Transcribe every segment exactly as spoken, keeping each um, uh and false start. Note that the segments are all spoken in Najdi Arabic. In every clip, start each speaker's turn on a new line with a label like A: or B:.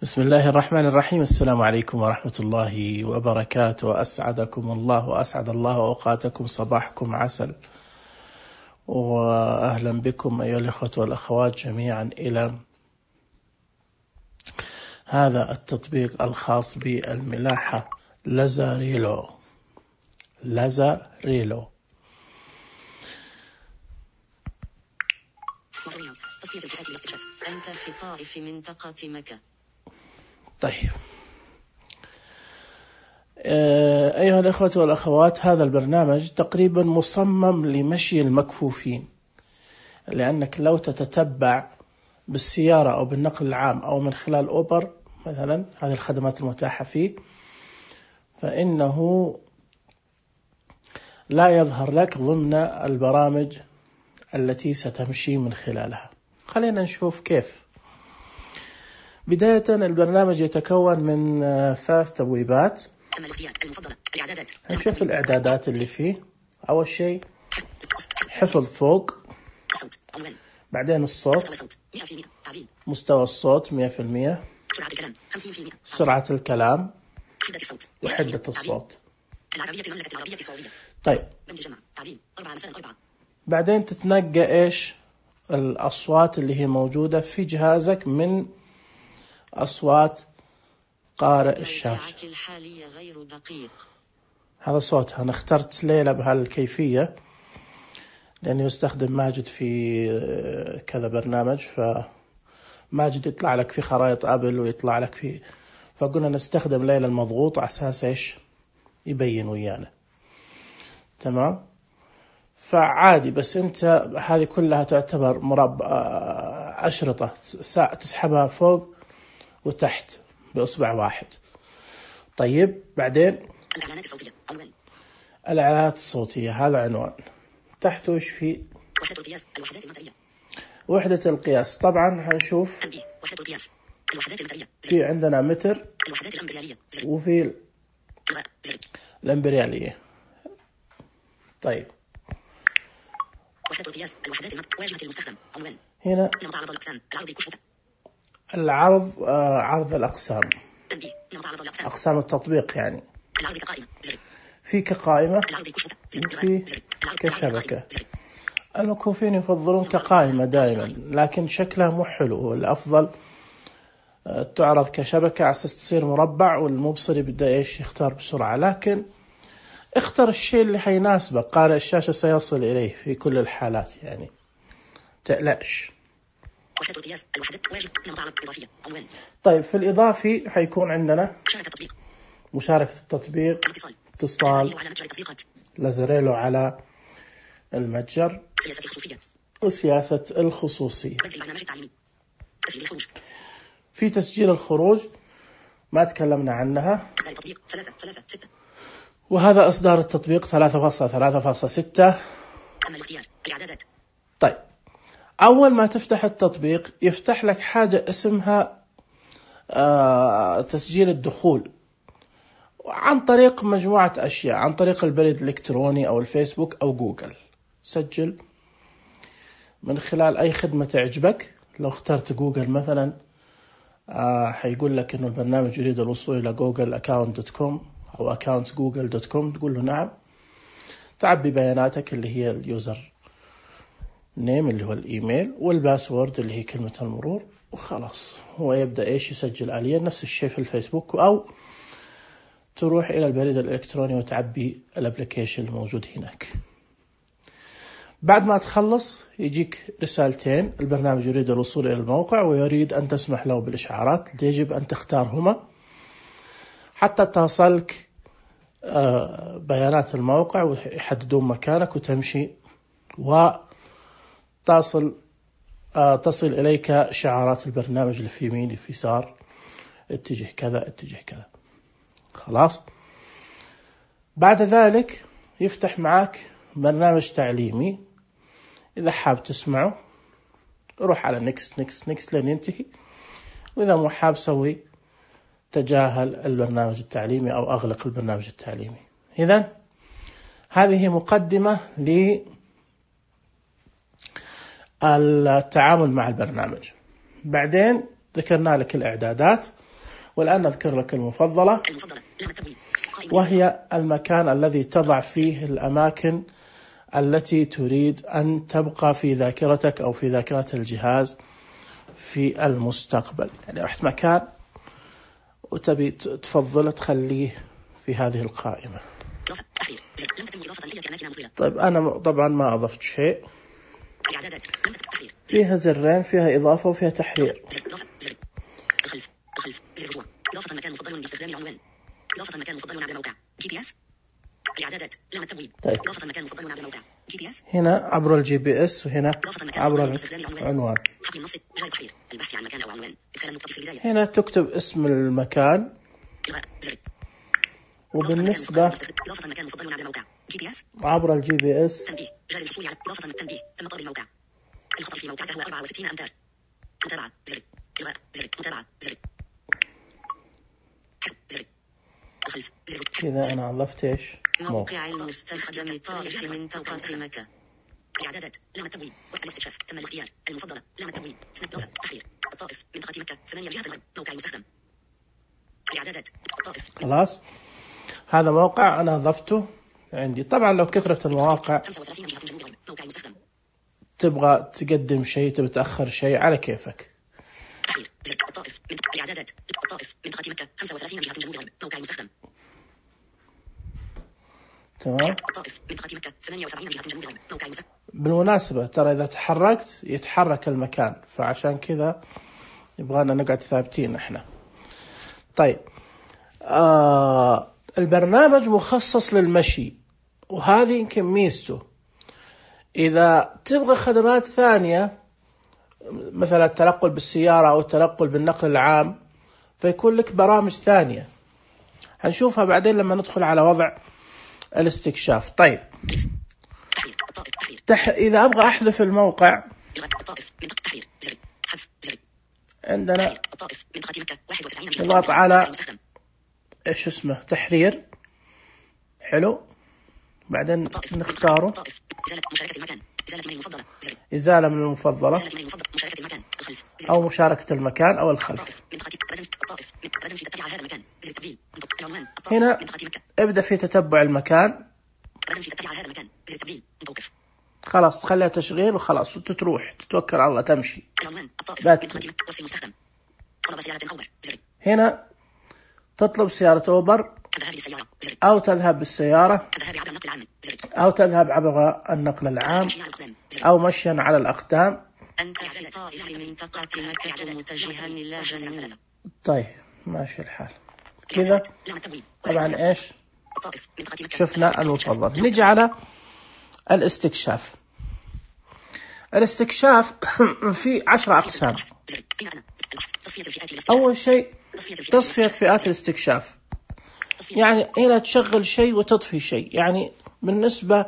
A: بسم الله الرحمن الرحيم. السلام عليكم ورحمة الله وبركاته. أسعدكم الله وأسعد الله أوقاتكم، صباحكم عسل، وأهلا بكم أيها الأخوة والأخوات جميعا إلى هذا التطبيق الخاص بالملاحة لازاريلو. لازاريلو
B: تصفية الفئات للاستكشاف. أنت في طائف منطقة مكة.
A: طيب أيها الأخوة والأخوات، هذا البرنامج تقريبا مصمم لمشي المكفوفين، لأنك لو تتتبع بالسيارة أو بالنقل العام أو من خلال أوبر مثلا، هذه الخدمات المتاحة فيه، فإنه لا يظهر لك ضمن البرامج التي ستمشي من خلالها. خلينا نشوف كيف. بداية البرنامج يتكون من ثلاث تبويبات. نشوف الإعدادات اللي فيه. أول شيء حفظ فوق، بعدين الصوت، مستوى الصوت مئة في المئة، سرعة الكلام، وحدة الصوت. طيب بعدين تتنقى إيش الأصوات اللي هي موجودة في جهازك من أصوات قارئ الشاشة. هذا صوتها. أنا اخترت ليلى بهالكيفية لأني بستخدم ماجد في كذا برنامج، فماجد يطلع لك في خرائط أبل ويطلع لك في، فقلنا نستخدم ليلى المضغوط على أساس إيش يبين ويانا. تمام. فعادي، بس أنت هذه كلها تعتبر مربع أشرطة تسحبها فوق وتحت بإصبع واحد. طيب بعدين
B: الإعلانات الصوتية. عنوان
A: الإعلانات الصوتية، هذا عنوان. تحته إيش في؟
B: وحدة القياس، الوحدات المترية.
A: وحدة القياس طبعا هنشوف.
B: تنبيه. وحدة القياس، الوحدات المترية.
A: في عندنا متر،
B: الوحدات الإمبريالية.
A: وفي الإمبريالية. طيب
B: وحدة القياس، الوحدات المترية. واجهة المستخدم. عنوان
A: هنا
B: نمط عرض الأقسام. العرض كشوفة.
A: العرض آه عرض الأقسام.
B: تنبيه. نمط عرض الأقسام.
A: أقسام التطبيق يعني.
B: العرض كقائمة. زر.
A: في كقائمة،
B: العرض كشوفة.
A: وفي كشبكة. المكفوفين يفضلون كقائمة دائما، لكن شكلها مو حلو. الأفضل تعرض كشبكة على أساس تصير مربع، والمبصر يبدأ إيش يختار بسرعة. لكن اختر الشيء اللي حيناسبك، قارئ الشاشة سيصل إليه في كل الحالات، يعني تقلقش.
B: وحدة القياس، الوحدات. واجهة نمط عرض إضافية. عنوان.
A: طيب في الإضافي حيكون عندنا
B: مشاركة التطبيق.
A: مشاركة التطبيق،
B: اتصال
A: اتصال
B: على متجر التطبيقات.
A: لازاريلو على المتجر،
B: سياسة الخصوصية.
A: وسياسة الخصوصية.
B: بدء البرنامج التعليمي. تسجيل الخروج.
A: في تسجيل الخروج ما تكلمنا عنها.
B: إصدار التطبيق ثلاثة ثلاثة ستة.
A: وهذا إصدار التطبيق ثلاثة فاصلة ثلاثة فاصلة ستة.
B: أما الاختيار، الإعدادات.
A: طيب أول ما تفتح التطبيق يفتح لك حاجة اسمها آه تسجيل الدخول عن طريق مجموعة أشياء، عن طريق البريد الإلكتروني أو الفيسبوك أو جوجل. سجل من خلال أي خدمة تعجبك. لو اخترت جوجل مثلا آه حيقول لك إنه البرنامج يريد الوصول إلى جوجل أكاونت دوت كوم أو أكاونت جوجل دوت كوم، تقول له نعم. تعبي بياناتك اللي هي اليوزر نيم اللي هو الإيميل، والباسورد اللي هي كلمة المرور، وخلاص هو يبدأ إيش يسجل آليا. نفس الشيء في الفيسبوك، أو تروح إلى البريد الإلكتروني وتعبي الابليكيشن الموجود هناك. بعد ما تخلص يجيك رسالتين: البرنامج يريد الوصول إلى الموقع ويريد أن تسمح له بالإشعارات. يجب أن تختارهما حتى تصلك بيانات الموقع ويحددون مكانك وتمشي، وتصل تصل إليك شعارات البرنامج اللي في يمين في يسار، اتجه كذا اتجه كذا. خلاص. بعد ذلك يفتح معك برنامج تعليمي. إذا حاب تسمعه روح على نيكست نيكست نيكست لين ينتهي، وإذا مو حاب سوي تجاهل البرنامج التعليمي أو أغلق البرنامج التعليمي. إذن هذه مقدمة للتعامل مع البرنامج. بعدين ذكرنا لك الإعدادات. والآن نذكر لك المفضلة،
B: المفضلة لام التبويب قائمة
A: وهي المكان الذي تضع فيه الأماكن التي تريد أن تبقى في ذاكرتك أو في ذاكرة الجهاز في المستقبل. يعني رحت مكان وتبي تفضل تخليه في هذه القائمة.
B: إضافة تحرير زر لم تتم إضافة أي أماكن مفضلة.
A: طيب أنا طبعا ما أضفت شيء.
B: إعدادات لم تتم تحرير
A: فيها زرين، فيها إضافة وفيها تحرير.
B: زر إضافة زر الخلف الخلف زر رجوع إضافة مكان مفضل باستخدام العنوان إضافة مكان مفضل عبر موقع جي بي إس إعدادات لام التبويب
A: طيب.
B: إضافة مكان مفضل عبر موقع جي بي إس
A: هنا عبر الجي بي إس وهنا
B: إضافة مكان
A: عبر
B: مفضل باستخدام العنوان
A: العنوان.
B: حقل النص جاي تحرير البحث عن مكان أو عنوان إدخال النقطة في البداية
A: هنا تكتب اسم المكان.
B: إلغاء زر
A: وبالنسبة
B: إضافة مكان مفضل عبر موقع جي بي إس
A: عبر الجي بي إس
B: تنبيه جاري الحصول على إضافة التنبيه تم طلب الموقع الخطأ في موقعك هو أربعة وستين أمتار متابعة زر إلغاء زر متابعة زر زر الخلف زر
A: إذا أنا أضفت إيش؟
B: موقع المستخدم طائف منطقة مكة إعدادات لام التبويب والاستكشاف تم الاختيار المفضلة لام التبويب إضافة تحرير الطائف منطقة مكة ثمانية جهة الغرب موقع المستخدم إعدادات الطائف
A: خلاص، هذا موقع أنا أضفته عندي. طبعا لو كثرت المواقع
B: خمسة وثلاثين جهة جنوب الغرب موقع المستخدم
A: تبغى تقدم شيء تبي تأخر شيء على كيفك.
B: تحرير زر الطائف من إعدادات الطائف منطقة مكة خمسة وثلاثين جهة جنوب الغرب موقع المستخدم
A: تمام.
B: الطائف منطقة مكة ثمانية وسبعين جهة جنوب الغرب موقع المستخدم
A: بالمناسبة ترى إذا تحركت يتحرك المكان، فعشان كذا يبغانا نقعد ثابتين احنا. طيب آه البرنامج مخصص للمشي، وهذه يمكن ميزته. إذا تبغى خدمات ثانية مثلا التنقل بالسيارة أو التنقل بالنقل العام فيكون لك برامج ثانية هنشوفها بعدين لما ندخل على وضع الاستكشاف. طيب
B: تحرير الطائف تحرير
A: تح... إذا أبغى أحذف الموقع
B: إلغاء الطائف منطقة تحرير زر حذف زر
A: عندنا
B: تحرير الطائف منطقة مكة واحد وتسعين جهة
A: نضغط
B: موقع
A: على
B: المستخدم
A: إيش اسمه تحرير. حلو، بعدين
B: الطائف
A: نختاره
B: الطائف إزالة مشاركة المكان إزالة من المفضلة زر
A: إزالة من المفضلة
B: إزالة من المفضل مشاركة المكان الخلف زر
A: أو مشاركة المكان أو الخلف.
B: الطائف منطقة بدن الطائف بدن في تتبع هذا المكان زر التبديل العنوان الطائف
A: هنا
B: منطقة مكة
A: ابدأ في تتبع المكان.
B: بدن في تتبع هذا المكان زر التبديل متوقف
A: خلاص تخليها تشغيل وخلاص وتتروح تتوكل على الله تمشي.
B: العنوان الطائف
A: بات.
B: منطقة مكة وصف المستخدم طلب سيارة أوبر زر
A: هنا تطلب سيارة أوبر
B: الذهاب بالسيارة زر
A: أو تذهب بالسيارة
B: الذهاب عبر النقل العام زر
A: أو تذهب عبر النقل العام
B: مشي على الأقدام زر
A: أو مشيا على الأقدام.
B: أنت في طائف منطقة مكة متجها إلى جنوب
A: طيب ماشي الحال كذا.
B: لام التبويب
A: طبعا إيش
B: الطائف منطقة مكة
A: شفنا المفضل. نيجي على الاستكشاف. الاستكشاف في عشرة أقسام.
B: زر أين أنا البحث تصفية الفئات الاستكشاف
A: أول شيء
B: تصفية الفئات
A: تصفية فئات الاستكشاف، يعني هنا تشغل شيء وتطفي شيء. يعني بالنسبة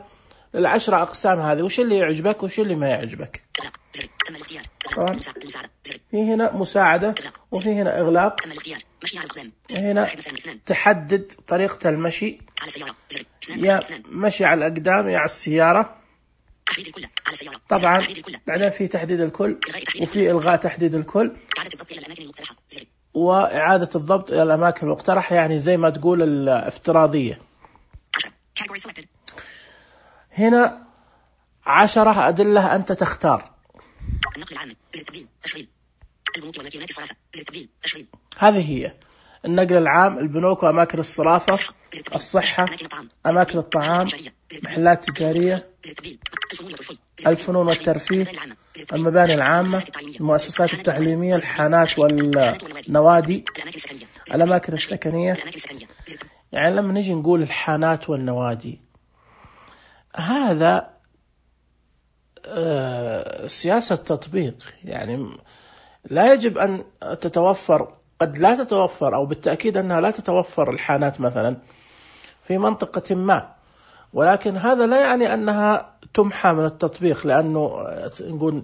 A: للعشرة أقسام هذه وش اللي يعجبك وش اللي ما يعجبك.
B: إغلاق زر تم الاختيار
A: طبعا
B: إغلاق المساعدة زر
A: في هنا مساعدة وفي هنا إغلاق.
B: تم الاختيار مشي على الأقدام
A: هنا
B: واحد اثنان اثنان
A: تحدد طريقة المشي،
B: على سيارة زر اثنان
A: يا
B: اثنان
A: مشي على الأقدام يا على السيارة.
B: تحديد الكل على سيارة
A: طبعا
B: تحديد الكل
A: بعدين في تحديد الكل وفي إلغاء تحديد الكل
B: إعادة الضبط إلى الأماكن المقترحة زر
A: وإعادة الضبط إلى الأماكن المقترحة، يعني زي ما تقول الافتراضية.
B: عشرة category selected
A: هنا عشرة أدلة أنت تختار.
B: النقل العام زر التبديل تشغيل البنوك والماكينات الصرافة زر التبديل تشغيل
A: هذه هي النقل العام، البنوك وأماكن الصرافة،
B: زر التبديل
A: الصحة،
B: أماكن الطعام
A: أماكن الطعام، محلات تجارية،
B: زر التبديل الفنون والترفيه
A: الفنون والترفيه، المباني العامة، المؤسسات التعليمية، الحانات والنوادي،
B: الأماكن السكنية
A: الأماكن السكنية.
B: الأماكن السكنية زر التبديل
A: يعني لما نيجي نقول الحانات والنوادي هذا آه سياسة تطبيق، يعني لا يجب أن تتوفر، قد لا تتوفر أو بالتأكيد أنها لا تتوفر الحانات مثلا في منطقة ما، ولكن هذا لا يعني أنها تمحى من التطبيق، لأنه نقول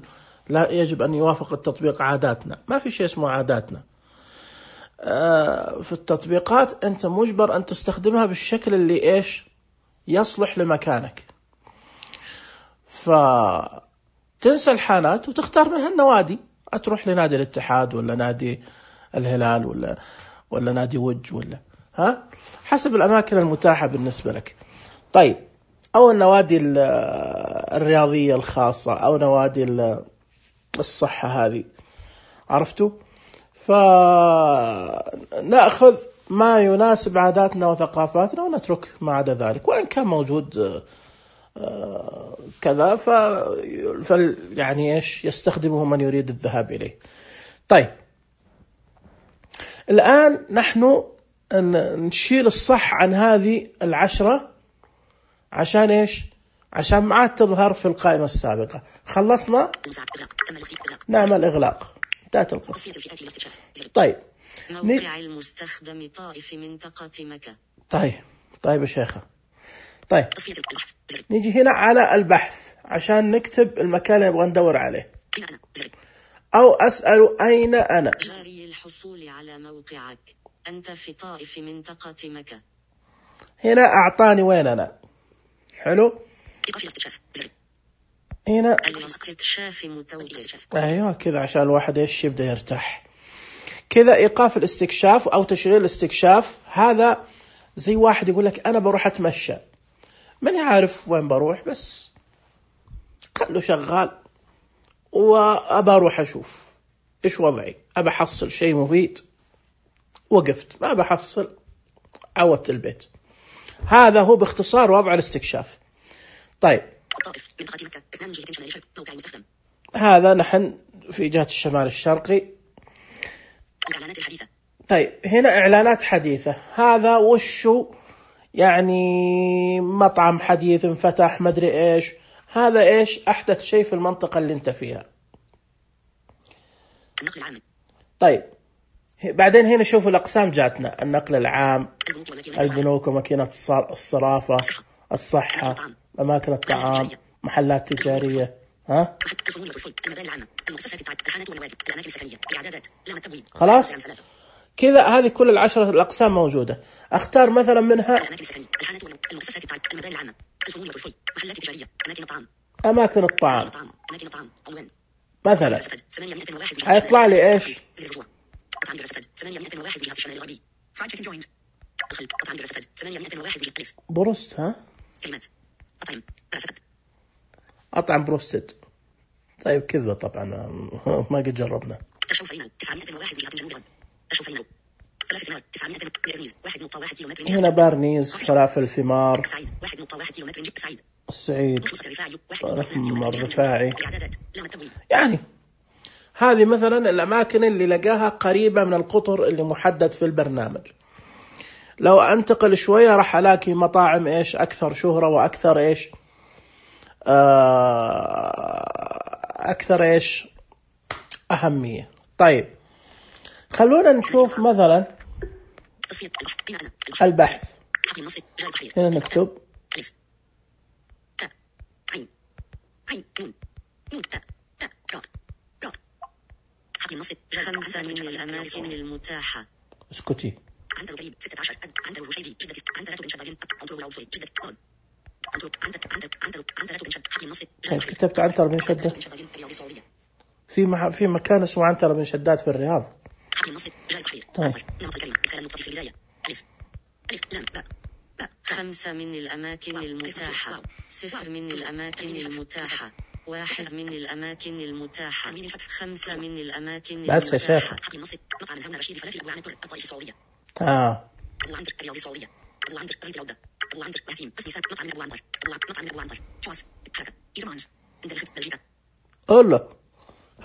A: لا يجب أن يوافق التطبيق عاداتنا. ما في شيء اسمه عاداتنا. في التطبيقات أنت مجبر أن تستخدمها بالشكل اللي إيش يصلح لمكانك، فتنسى الحانات وتختار منها النوادي، أتروح لنادي الاتحاد ولا نادي الهلال ولا ولا نادي وج ولا ها، حسب الأماكن المتاحة بالنسبة لك. طيب، أو النوادي الرياضية الخاصة أو نوادي الصحة هذه، عرفتوا؟ فنأخذ ما يناسب عاداتنا وثقافاتنا ونترك ما عدا ذلك، وإن كان موجود كذا ف يعني إيش يستخدمه من يريد الذهاب إليه. طيب، الآن نحن نشيل الصح عن هذه العشرة عشان إيش؟ عشان ما عاد تظهر في القائمة السابقة. خلصنا، نعمل إغلاق، انتهت القصة. طيب،
B: موقع المستخدم طائف منطقة مكة.
A: طيب طيب يا شيخة، طيب نيجي هنا على البحث عشان نكتب المكان اللي نبغى ندور عليه، أو أسأل أين أنا.
B: جاري الحصول على موقعك، أنت في طائف منطقة مكة.
A: هنا أعطاني وين أنا. حلو. هنا
B: الاستكشاف متوقف.
A: أيوة كذا عشان الواحد إيش يبدأ يرتاح. كذا إيقاف الاستكشاف أو تشغيل الاستكشاف، هذا زي واحد يقول لك أنا بروح أتمشى، ماني عارف وين بروح، بس خلو شغال وأبى أروح أشوف إيش وضعي، أبى أحصل شيء مفيد، وقفت، ما بحصل، عودت البيت. هذا هو باختصار وضع الاستكشاف. طيب، هذا نحن في جهة الشمال الشرقي. طيب، هنا إعلانات حديثة، هذا وشو يعني؟ مطعم حديث انفتح، مدري إيش، هذا إيش أحدث شيء في المنطقة اللي انت فيها. طيب، بعدين هنا شوفوا الأقسام جاتنا: النقل العام، البنوك وماكينة الصرافة، الصحة، أماكن الطعام، محلات تجارية. ها؟ خلاص كذا، هذه كل العشرة الأقسام موجودة. أختار مثلا منها أماكن الطعام مثلا، هيطلع لي إيش؟ بروست. ها؟ أطعم بروستد. طيب كذا طبعا ما قد جربنا. هنا بارنيز، فلافل ثمار، السعيد، الرفاعي. يعني هذه مثلا الأماكن اللي لقاها قريبة من القطر اللي محدد في البرنامج. لو أنتقل شوية راح ألاقي مطاعم إيش أكثر شهرة وأكثر إيش أكثر إيش أهمية. طيب، خلونا نشوف مثلا البحث. هنا نكتب
B: خمسة من الأماكن المتاحة.
A: اسكتي.
B: عنتر قريب ستة عشر. عنتر الوشيدي جدة. عنتر بن شداد. عنتر العوصي جدة. عنتر عنتر عنتر عنتر عنتر بن شداد. حكي النصر.
A: كتبت عنتر بن شداد. في مح... في مكان اسمه عنتر بن شداد في الرياض.
B: حكي النصر. جاي تحرير.
A: طيب.
B: نمط الكلمة. مثال النقطة في البداية. ألف. ألف لام باء. باء. خمسة من الأماكن المتاحة. صفر من الأماكن المتاحة. واحد من الأماكن المتاحة. خمسة من الأماكن المتاحة.
A: بس يا شيخ.
B: حكي النصر. مطعم هنا رشيد فلافل أبو عنتر الطائف السعودية.
A: آه.
B: أبو عنتر الرياض السعودية. أبو عنتر قرية العودة. أبو عنتر وهتيم. اسم مثال مطعم أبو عنتر. مطعم أبو عنتر. جواز. حركة. إيرمانز. عند الخط بلجيكا.
A: قول له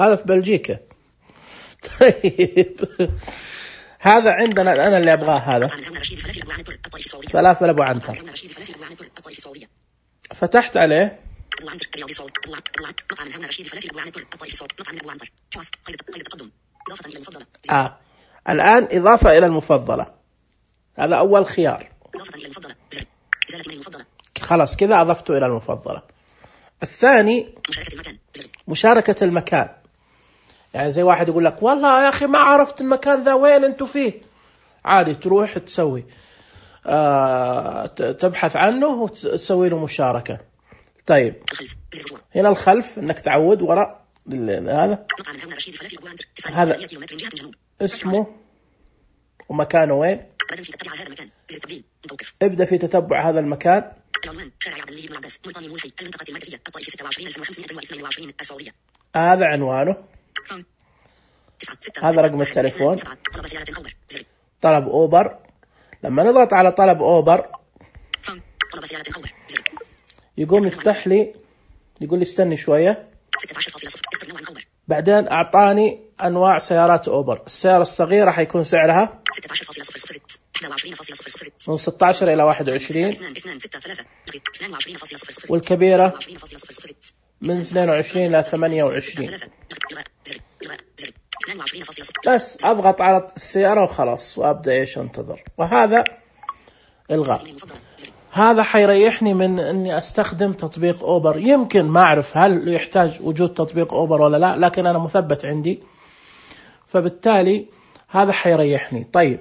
A: هذا في بلجيكا. طيب هذا عندنا أنا اللي أبغاه. هذا فلافل أبو عنتر. فتحت عليه. آه الآن إضافة إلى المفضلة، هذا أول خيار. خلاص كذا أضفته إلى المفضلة. الثاني مشاركة المكان. يعني زي واحد يقول لك والله يا أخي ما عرفت المكان ذا وين أنتوا فيه، عادي تروح تسوي آه تبحث عنه وتسوي له مشاركة. طيب هنا الخلف انك تعود وراء هذا هذا اسمه ومكانه وين؟
B: أبدا في تتبع هذا المكان. زر التبديل متوقف.
A: ابدأ في تتبع هذا المكان.
B: العنوان شارع عبد الله بن عباس ملطاني ملحي المنطقة المركزية الطائف ستة وعشرين ألف وخمسمائة واثنين وعشرين السعودية.
A: هذا عنوانه. هذا رقم التليفون.
B: طلب سيارة أوبر. زر.
A: طلب أوبر. لما نضغط على طلب أوبر
B: طلب سيارة أوبر. زر.
A: يقوم يفتح لي، يقول لي استني شوية.
B: ستة عشر فاصلة صفر اختر نوعا أوبر.
A: بعدين أعطاني أنواع سيارات أوبر. السيارة الصغيرة حيكون سعرها
B: ستة عشر فاصلة صفر صفر واحد وعشرين فاصلة صفر صفر
A: من ستة عشر إلى واحد وعشرين،
B: اثنين ستة ثلاثة اثنين وعشرين فاصلة صفر صفر،
A: والكبيرة من اثنين وعشرين إلى ثمانية وعشرين. بس أضغط على السيارة وخلاص وأبدأ إيش أنتظر. وهذا إلغاء. هذا حيريحني من أني أستخدم تطبيق أوبر. يمكن ما أعرف هل يحتاج وجود تطبيق أوبر ولا لا، لكن أنا مثبت عندي، فبالتالي هذا حيريحني. طيب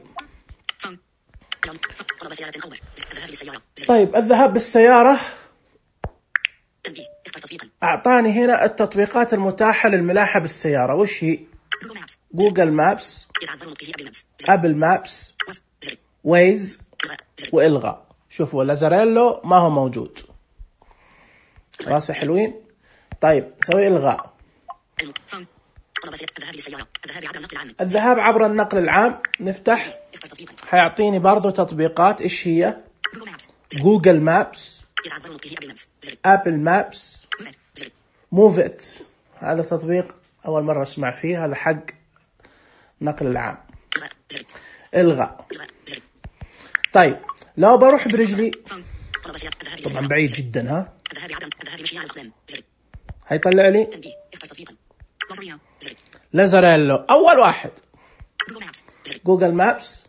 A: طيب الذهاب بالسيارة أعطاني هنا التطبيقات المتاحة للملاحة بالسيارة. وش هي؟ جوجل مابس، أبل مابس، ويز، وإلغاء. شوفوا لازاريلو ما هو موجود. خلاص حلوين. طيب سوي إلغاء. الذهاب عبر النقل العام نفتح، حيعطيني برضو تطبيقات. إيش هي؟ جوجل مابس، أبل مابس، موفيت. هذا تطبيق أول مرة أسمع فيه، هذا حق نقل العام. إلغاء. طيب لو بروح برجلي طبعا بعيد جدا، ها هيطلع لي لازاريلو. أول واحد جوجل مابس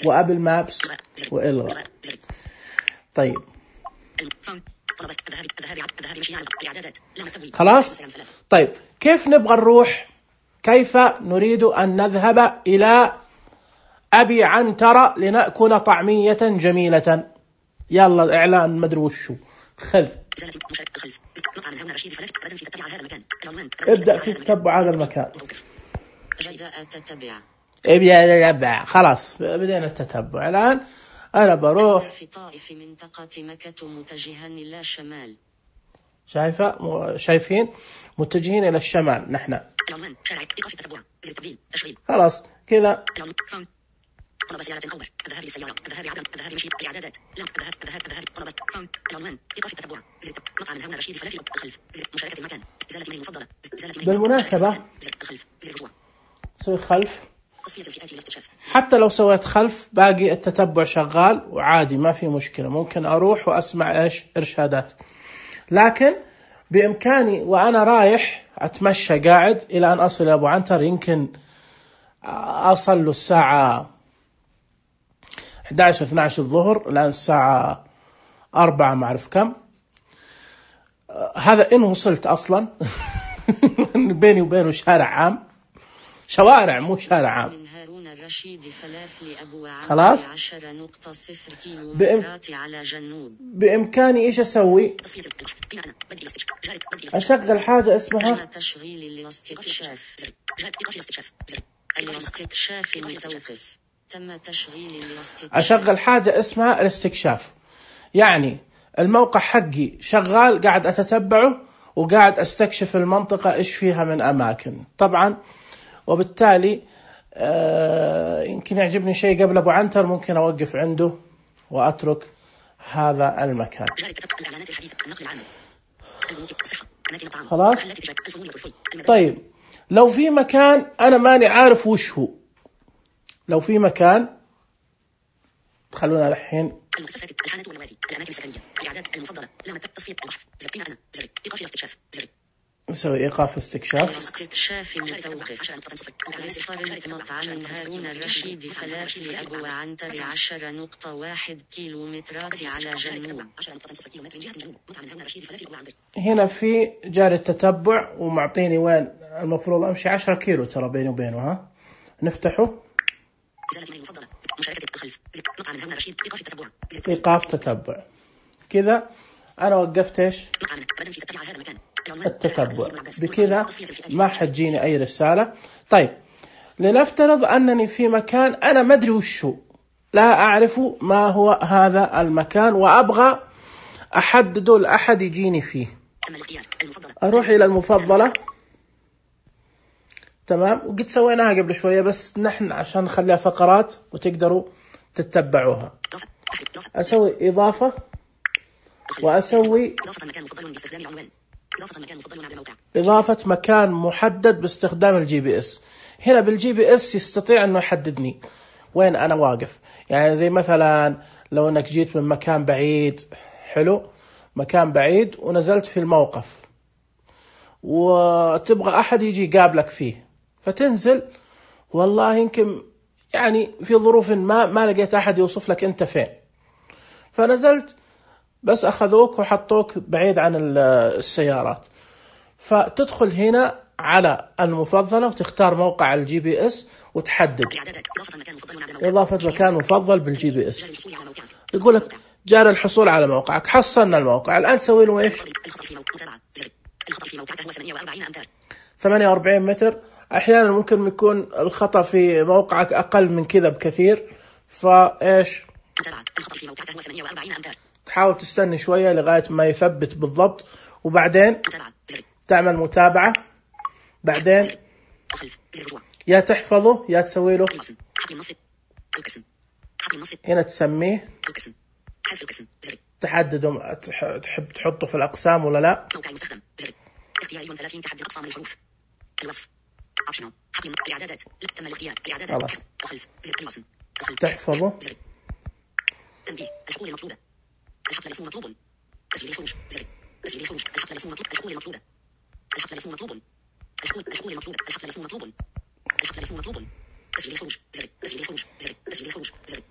A: وأبل مابس وإلغاء. طيب خلاص. طيب كيف نبغى نروح؟ كيف نريد أن نذهب إلى أبي عنترة لنأكل طعمية جميلة؟ يلا إعلان مدري وشو. خذ ابدأ في تتبع هذا المكان. ابدأ. خلاص بدينا التتبع. الآن أنا بروح
B: في طائف منطقة مكة متجها إلى الشمال.
A: شايفة؟ شايفين؟ متجهين إلى الشمال نحن. خلاص كذا.
B: طلب سيارة أوبر. الذهاب للسيارة. الذهاب عدم. الذهاب مشي. الإعدادات. لم. الذهاب. الذهاب. الذهاب. طلب العنوان. إيقاف التتبع. زر مطعم هارون الرشيد فلافل الخلف. زر مشاركة المكان. إزالة إيميل المفضلة. إزالة إيميل.
A: بالمناسبة
B: زر الخلف. زر رجوع.
A: سوي خلف.
B: تصفية الفئات للاستكشاف.
A: حتى لو سويت خلف باقي التتبع شغال وعادي، ما في مشكلة. ممكن أروح وأسمع إيش إرشادات، لكن بإمكاني وأنا رايح أتمشى قاعد إلى أن أصل أبو عنتر. يمكن أصل له الساعة إحدى عشر اثنتي عشرة الظهر، الآن الساعة أربعة ما أعرف كم. هذا إن وصلت أصلا. بيني وبينه شارع عام، شوارع مو شارع عام.
B: من هارون الرشيد فلافل أبو
A: خلاص.
B: عشرة نقطة صفر كيلومترات على جنوب.
A: بإمكاني إيش أسوي؟ أشغل حاجة اسمها
B: تشغيل الاستكشاف. الاستكشاف متوقف. تم تشغيل الاستكشاف.
A: أشغل حاجة اسمها الاستكشاف، يعني الموقع حقي شغال قاعد أتتبعه وقاعد أستكشف المنطقة إيش فيها من أماكن طبعا. وبالتالي آه يمكن يعجبني شيء قبل أبو عنتر، ممكن أوقف عنده وأترك هذا المكان. خلاص. طيب لو في مكان أنا ماني عارف وش هو، لو في مكان خلونا الحين
B: المؤسسات الحانة والنوادي الأماكن السكنية الإعداد المفضلة لما تصفية البحث زر أنا زر إيقاف الاستكشاف زر
A: نسوي إيقاف استكشاف.
B: استكشاف متوقف. اخترت مطعم هارون الرشيد فلافل أبو عنتر عشرة نقطة واحد كيلومترات على جنوب.
A: هنا في جاري التتبع ومعطيني وين المفروض أمشي. عشرة كيلو ترى بيني وبينه. ها نفتحه. إيقاف تتبع. كذا أنا وقفت إيش التتبع. بكذا ما حتجيني أي رسالة. طيب لنفترض أنني في مكان أنا ما أدري وش هو، لا أعرف ما هو هذا المكان وأبغى أحدده لأحد يجيني فيه. أروح إلى المفضلة، تمام، وقد سويناها قبل شوية بس نحن عشان نخليها فقرات وتقدروا تتبعوها. أسوي إضافة وأسوي إضافة مكان محدد باستخدام الجي بي إس. هنا بالجي بي إس يستطيع أنه يحددني وين أنا واقف. يعني زي مثلا لو أنك جيت من مكان بعيد، حلو، مكان بعيد ونزلت في الموقف وتبغى أحد يجي يقابلك فيه، فتنزل والله يمكن يعني في ظروف ما ما لقيت أحد يوصف لك أنت فين، فنزلت بس أخذوك وحطوك بعيد عن السيارات، فتدخل هنا على المفضلة وتختار موقع الجي بي إس وتحدد إضافة مكان مفضل بالجي بي إس. يقول لك جار الحصول على موقعك، حصلنا الموقع. الآن تسوي له إيش؟ ثمانية وأربعين متر. أحيانا ممكن يكون الخطأ في موقعك أقل من كذا بكثير، فإيش؟ تحاول تستني شوية لغاية ما يثبت بالضبط، وبعدين تعمل متابعة. بعدين يا تحفظه يا تسوي له هنا تسميه، تحدده تحب تحطه في الأقسام ولا لا. تحفظه. تنبيه الحقول المطلوبة. الحقل الاسم مطلوب. تسجيل الخروج. زر. تسجيل الخروج. الحقل الاسم مطلوب. الحقول المطلوبة. الحقل الاسم مطلوب. الحقول الحقول المطلوبة. الحقل الاسم مطلوب. الحقل الاسم مطلوب. تسجيل الخروج. زر. تسجيل الخروج. زر. تسجيل الخروج. زر.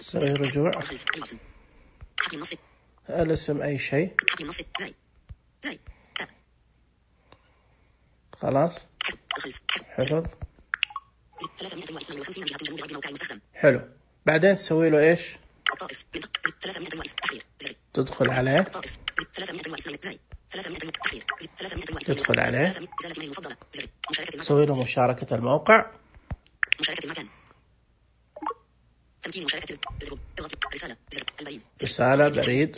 A: سوي رجوع.
B: حقل النص.
A: الاسم أي شيء.
B: حقل النص. زي. زي. تاب.
A: خلاص. حفظ.
B: ثلاثمائة واثنين وخمسين جهة جنوب غرب موقع المستخدم.
A: حلو. بعدين تسوي له إيش؟
B: الطائف. ثلاثمائة واثنين. تحرير. زر.
A: تدخل عليه.
B: الطائف. ثلاثمائة واثنين. زي. ثلاثمائة تحرير. ثلاثمائة واثنين.
A: تدخل عليه.
B: زالت من المفضلة. زر. مشاركة المكان.
A: تسوي له مشاركة الموقع.
B: مشاركة المكان. تمكين مشاركة الجروب. اضغط رسالة. زر. البريد.
A: رسالة، بريد،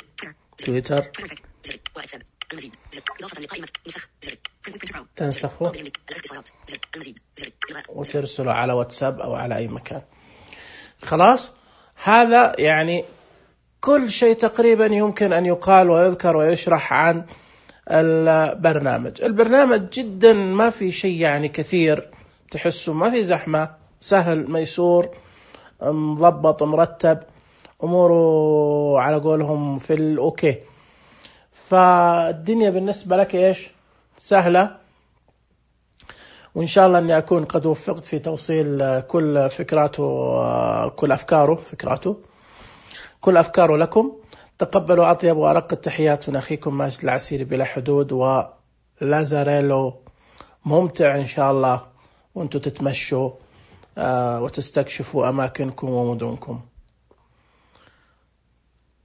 A: تويتر.
B: زر. واتساب. المزيد. زر. إضافة لقائمة نسخ. زر.
A: تنسخه وترسله على واتساب أو على أي مكان. خلاص، هذا يعني كل شيء تقريبا يمكن أن يقال ويذكر ويشرح عن البرنامج. البرنامج جدا ما في شيء يعني كثير، تحسه ما في زحمة، سهل ميسور مضبط مرتب، أموره على قولهم في الأوكي. فالدنيا بالنسبة لك إيش؟ سهلة، وإن شاء الله أني أكون قد وفقت في توصيل كل فكراته كل أفكاره فكراته كل أفكاره لكم. تقبلوا أطيب وأرق التحيات من أخيكم ماجد العسيري بلا حدود، ولازاريلو ممتع إن شاء الله وأنتم تتمشوا وتستكشفوا أماكنكم ومدنكم.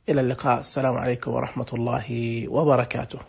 A: إلى اللقاء، السلام عليكم ورحمة الله وبركاته.